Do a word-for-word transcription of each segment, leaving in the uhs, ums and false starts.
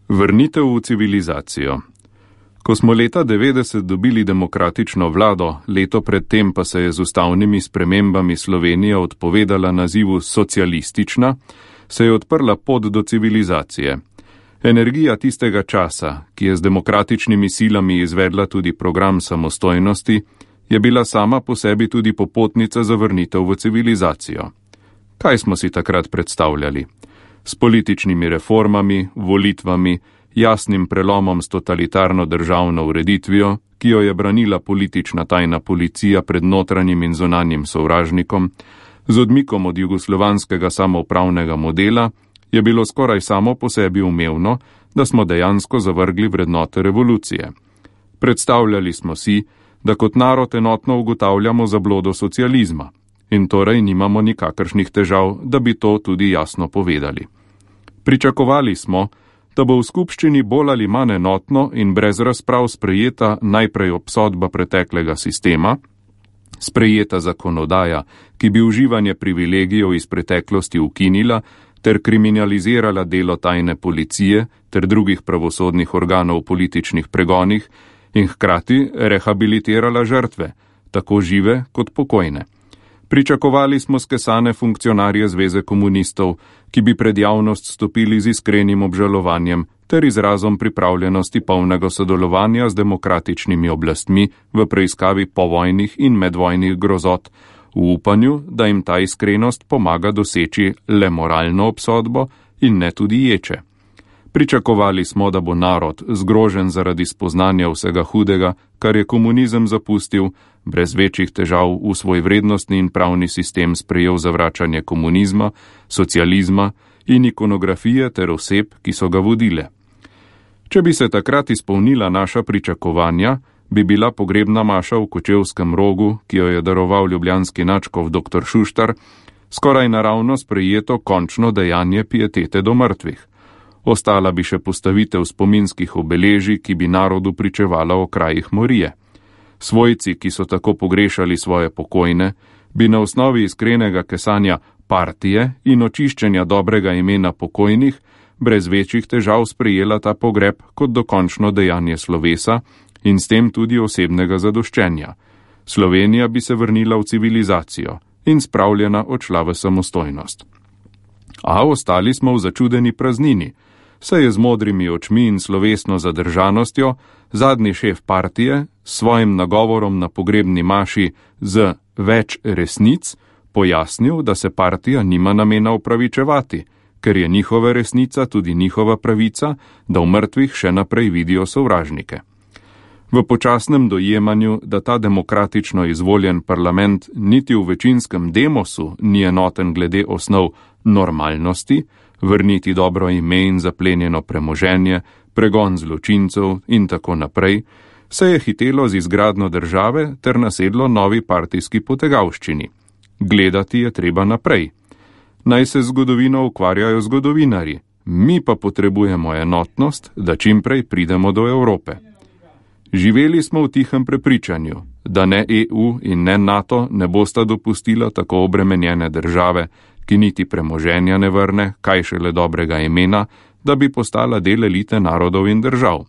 Vrnitev v civilizacijo. Ko smo leta devetdeset dobili demokratično vlado, leto predtem pa se je z ustavnimi spremembami Slovenija odpovedala nazivu socialistična, se je odprla pot do civilizacije. Energija tistega časa, ki je z demokratičnimi silami izvedla tudi program samostojnosti, je bila sama po sebi tudi popotnica za vrnitev v civilizacijo. Kaj smo si takrat predstavljali? S političnimi reformami, volitvami, jasnim prelomom s totalitarno državno ureditvijo, ki jo je branila politična tajna policija pred notranjim in zunanjim sovražnikom, z odmikom od jugoslovanskega samoupravnega modela, je bilo skoraj samo po sebi umevno, da smo dejansko zavrgli vrednote revolucije. Predstavljali smo si, da kot narod enotno ugotavljamo zablodo socializma in torej nimamo nikakršnih težav, da bi to tudi jasno povedali. Pričakovali smo, da bo v skupščini bolj ali manj enotno in brez razprav sprejeta najprej obsodba preteklega sistema, sprejeta zakonodaja, ki bi uživanje privilegijev iz preteklosti ukinila ter kriminalizirala delo tajne policije ter drugih pravosodnih organov v političnih pregonih in hkrati rehabilitirala žrtve, tako žive kot pokojne. Pričakovali smo skesane funkcionarje Zveze komunistov, ki bi pred javnost stopili z iskrenim obžalovanjem ter izrazom pripravljenosti polnega sodelovanja z demokratičnimi oblastmi v preiskavi povojnih in medvojnih grozot, v upanju, da jim ta iskrenost pomaga doseči le moralno obsodbo in ne tudi ječe. Pričakovali smo, da bo narod, zgrožen zaradi spoznanja vsega hudega, kar je komunizem zapustil, brez večjih težav v svoj vrednostni in pravni sistem sprejel zavračanje komunizma, socializma in ikonografije ter oseb, ki so ga vodile. Če bi se takrat izpolnila naša pričakovanja, bi bila pogrebna maša v Kočevskem Rogu, ki jo je daroval ljubljanski nadškof doktor Šuštar, skoraj naravno sprejeto končno dejanje pietete do mrtvih. Ostala bi še postavitev spominskih obeležij, ki bi narodu pričevala o krajih morije. Svojci, ki so tako pogrešali svoje pokojne, bi na osnovi iskrenega kesanja partije in očiščenja dobrega imena pokojnih brez večjih težav sprejela ta pogreb kot dokončno dejanje slovesa in s tem tudi osebnega zadoščenja. Slovenija bi se vrnila v civilizacijo in spravljena odšla v samostojnost. A ostali smo v začudeni praznini, saj je z modrimi očmi in slovesno zadržanostjo zadnji šef partije s svojim nagovorom na pogrebni maši z več resnic pojasnil, da se partija nima namena upravičevati, ker je njihova resnica tudi njihova pravica, da v mrtvih še naprej vidijo sovražnike. V počasnem dojemanju, da ta demokratično izvoljen parlament niti v večinskem demosu ni enoten glede osnov normalnosti, vrniti dobro ime in zaplenjeno premoženje, pregon zločincev in tako naprej, se je hitelo z izgradno države ter nasedlo novi partijski potegavščini. Gledati je treba naprej. Naj se zgodovino ukvarjajo zgodovinarji, mi pa potrebujemo enotnost, da čimprej pridemo do Evrope. Živeli smo v tihem prepričanju, da ne E U in ne NATO ne bosta dopustila tako obremenjene države, ki niti premoženja ne vrne, kaj šele dobrega imena, da bi postala del elite narodov in držav.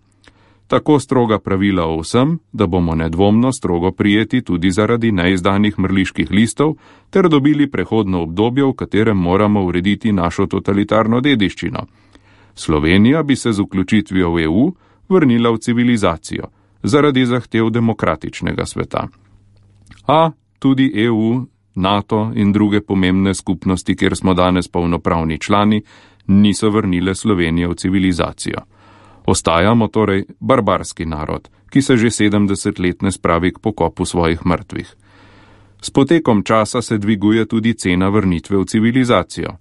Tako stroga pravila o vsem, da bomo nedvomno strogo prijeti tudi zaradi neizdanih mrliških listov, ter dobili prehodno obdobje, v katerem moramo urediti našo totalitarno dediščino. Slovenija bi se z vključitvijo v E U vrnila v civilizacijo, zaradi zahtev demokratičnega sveta. A tudi E U, NATO in druge pomembne skupnosti, kjer smo danes polnopravni člani, niso vrnile Slovenije v civilizacijo. Ostajamo torej barbarski narod, ki se že sedemdeset let ne spravi k pokopu svojih mrtvih. S potekom časa se dviguje tudi cena vrnitve v civilizacijo.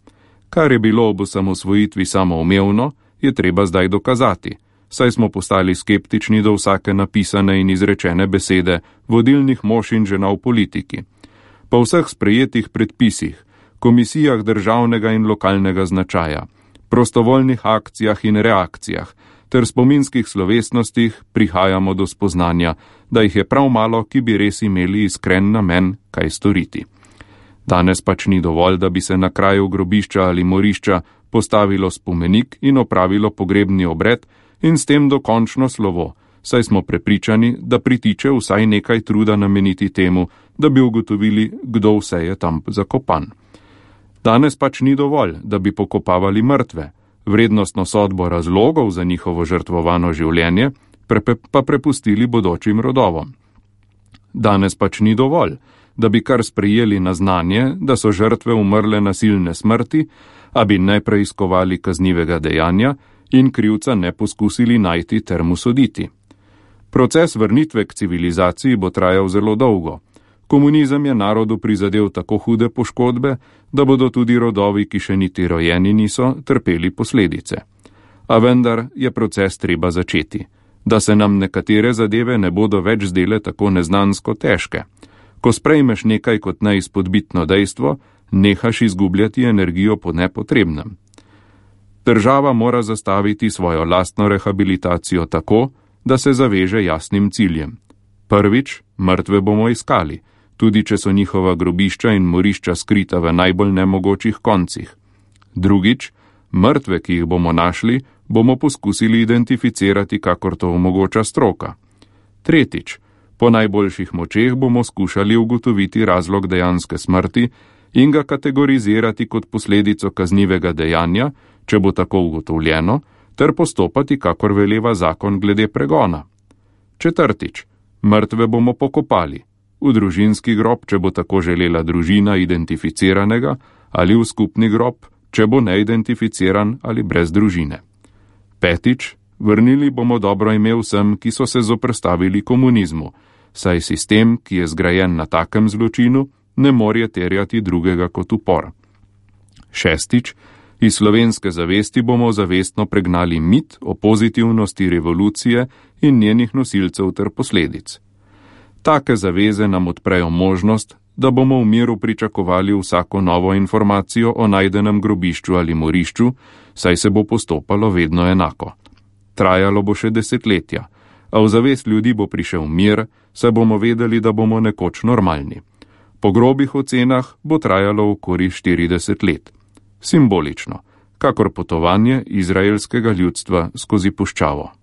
Kar je bilo ob osamosvojitvi samoumevno, je treba zdaj dokazati, saj smo postali skeptični do vsake napisane in izrečene besede vodilnih mož in žena v politiki. Po vseh sprejetih predpisih, komisijah državnega in lokalnega značaja, prostovoljnih akcijah in reakcijah ter spominskih slovesnostih prihajamo do spoznanja, da jih je prav malo, ki bi res imeli iskren namen kaj storiti. Danes pač ni dovolj, da bi se na kraju grobišča ali morišča postavilo spomenik in opravilo pogrebni obred in s tem dokončno slovo, saj smo prepričani, da pritiče vsaj nekaj truda nameniti temu, da bi ugotovili, kdo vse je tam zakopan. Danes pač ni dovolj, da bi pokopavali mrtve, vrednostno sodbo razlogov za njihovo žrtvovano življenje pa prepustili bodočim rodovom. Danes pač ni dovolj, da bi kar sprejeli na znanje, da so žrtve umrle nasilne smrti, a bi ne preiskovali kaznivega dejanja in krivca ne poskusili najti ter mu soditi. Proces vrnitve k civilizaciji bo trajal zelo dolgo. Komunizem je narodu prizadel tako hude poškodbe, da bodo tudi rodovi, ki še niti rojeni niso, trpeli posledice. A vendar je proces treba začeti, da se nam nekatere zadeve ne bodo več zdele tako neznansko težke. Ko sprejmeš nekaj kot neizpodbitno dejstvo, nehaš izgubljati energijo po nepotrebnem. Država mora zastaviti svojo lastno rehabilitacijo tako, da se zaveže jasnim ciljem. Prvič, mrtve bomo iskali, tudi če so njihova grobišča in morišča skrita v najbolj nemogočih koncih. Drugič, mrtve, ki jih bomo našli, bomo poskusili identificirati, kakor to omogoča stroka. Tretjič, po najboljših močeh bomo skušali ugotoviti razlog dejanske smrti in ga kategorizirati kot posledico kaznivega dejanja, če bo tako ugotovljeno, ter postopati, kakor veleva zakon glede pregona. Četrtič, mrtve bomo pokopali, v družinski grob, če bo tako želela družina identificiranega, ali v skupni grob, če bo neidentificiran ali brez družine. Petič, vrnili bomo dobro ime vsem, ki so se zoperstavili komunizmu, saj sistem, ki je zgrajen na takem zločinu, ne more terjati drugega kot upor. Šestič, iz slovenske zavesti bomo zavestno pregnali mit o pozitivnosti revolucije in njenih nosilcev ter posledic. Take zaveze nam odprejo možnost, da bomo v miru pričakovali vsako novo informacijo o najdenem grobišču ali morišču, saj se bo postopalo vedno enako. Trajalo bo še desetletja, a v zavest ljudi bo prišel mir, saj bomo vedeli, da bomo nekoč normalni. Po grobih ocenah bo trajalo okoli štirideset let. Simbolično, kakor potovanje izraelskega ljudstva skozi puščavo.